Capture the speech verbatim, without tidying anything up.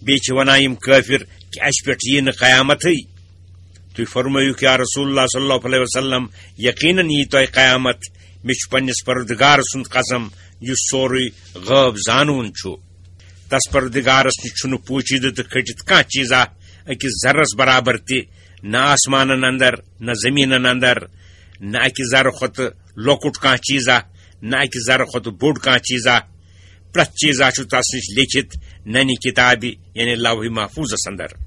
بیٚیہِ چھِ وَنان یِم کٲفِر کہِ اَسہِ پٮ۪ٹھ یِیہِ نہٕ قیامتٕے۔ تُہۍ فرمٲیِو، یا رسول اللہ صلی اللہ علیہ وسلم، یقیناً یِیہِ تۄہہِ قیامت۔ مےٚ چھُ پننِس پروردگار سُنٛد قسم، یُس سورُے غٲب زانوُن چھُ۔ تس پروردگارس نِش چھُنہٕ پوٗشیدٕ تہٕ کھٔٹِتھ کانٛہہ چیٖزا أکِس ذرس برابر تہِ، نہ آسمانن اندر، نہ زٔمیٖنن اندر، نہ اَکہِ ذرٕ کھۄتہٕ لۄکُٹ کانٛہہ چیٖزا، نہ اَکہِ ذرٕ کھۄتہٕ بوٚڑ کانٛہہ چیٖزا۔ پرٛٮ۪تھ چیٖزا چھُ تس نِش لیکھِتھ ننہِ کِتابہِ، یعنی لوح محفوظس اندر۔